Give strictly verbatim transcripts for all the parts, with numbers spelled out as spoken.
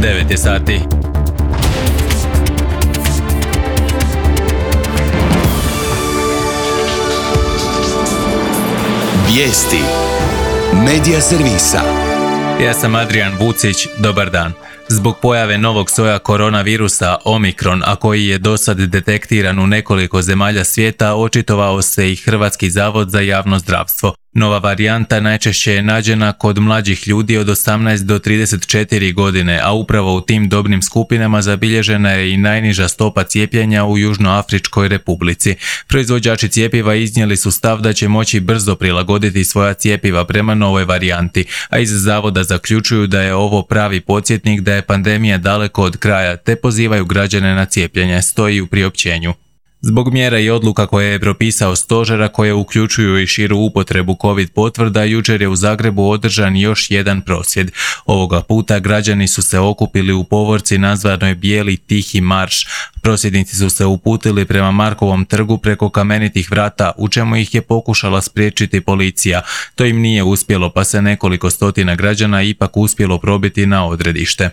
devet je sati. Vijesti Medija servisa. Ja sam Adrian Vucić, dobar dan. Zbog pojave novog soja koronavirusa Omikron, a koji je dosad detektiran u nekoliko zemalja svijeta, očitovao se i Hrvatski zavod za javno zdravstvo. Nova varijanta najčešće je nađena kod mlađih ljudi od osamnaest do trideset četiri godine, a upravo u tim dobnim skupinama zabilježena je i najniža stopa cijepljenja u Južnoafričkoj republici. Proizvođači cjepiva iznijeli su stav da će moći brzo prilagoditi svoja cjepiva prema novoj varijanti, a iz zavoda zaključuju da je ovo pravi podsjetnik da je pandemija daleko od kraja, te pozivaju građane na cijepljenje, stoji u priopćenju. Zbog mjera i odluka koje je propisao stožer, koje uključuju i širu upotrebu COVID potvrda, jučer je u Zagrebu održan još jedan prosvjed. Ovoga puta građani su se okupili u povorci nazvanoj Bijeli tihi marš. Prosvjednici su se uputili prema Markovom trgu preko Kamenitih vrata, u čemu ih je pokušala spriječiti policija. To im nije uspjelo, pa se nekoliko stotina građana ipak uspjelo probiti na odredište.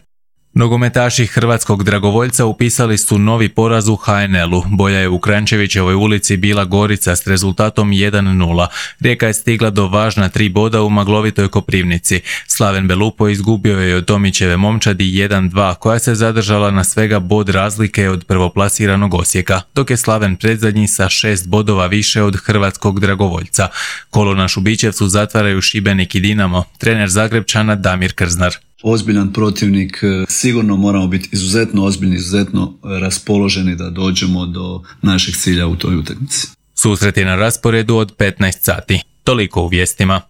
Nogometaši hrvatskog dragovoljca upisali su novi poraz u ha en el-u. Bolja je u Kranjčevićevoj ulici bila Gorica s rezultatom jedan nula. Rijeka je stigla do važna tri boda u maglovitoj Koprivnici. Slaven Belupo izgubio je od Tomićeve Momčadi jedan dva, koja se zadržala na svega bod razlike od prvoplasiranog Osijeka, dok je Slaven predzadnji sa šest bodova više od hrvatskog dragovoljca. Kolo na Šubićevcu zatvaraju Šibenik i Dinamo, trener Zagrebčana Damir Krznar. Ozbiljan protivnik, sigurno moramo biti izuzetno ozbiljni, izuzetno raspoloženi da dođemo do našeg cilja u toj utakmici. Susret je na rasporedu od petnaest sati. Toliko u vijestima.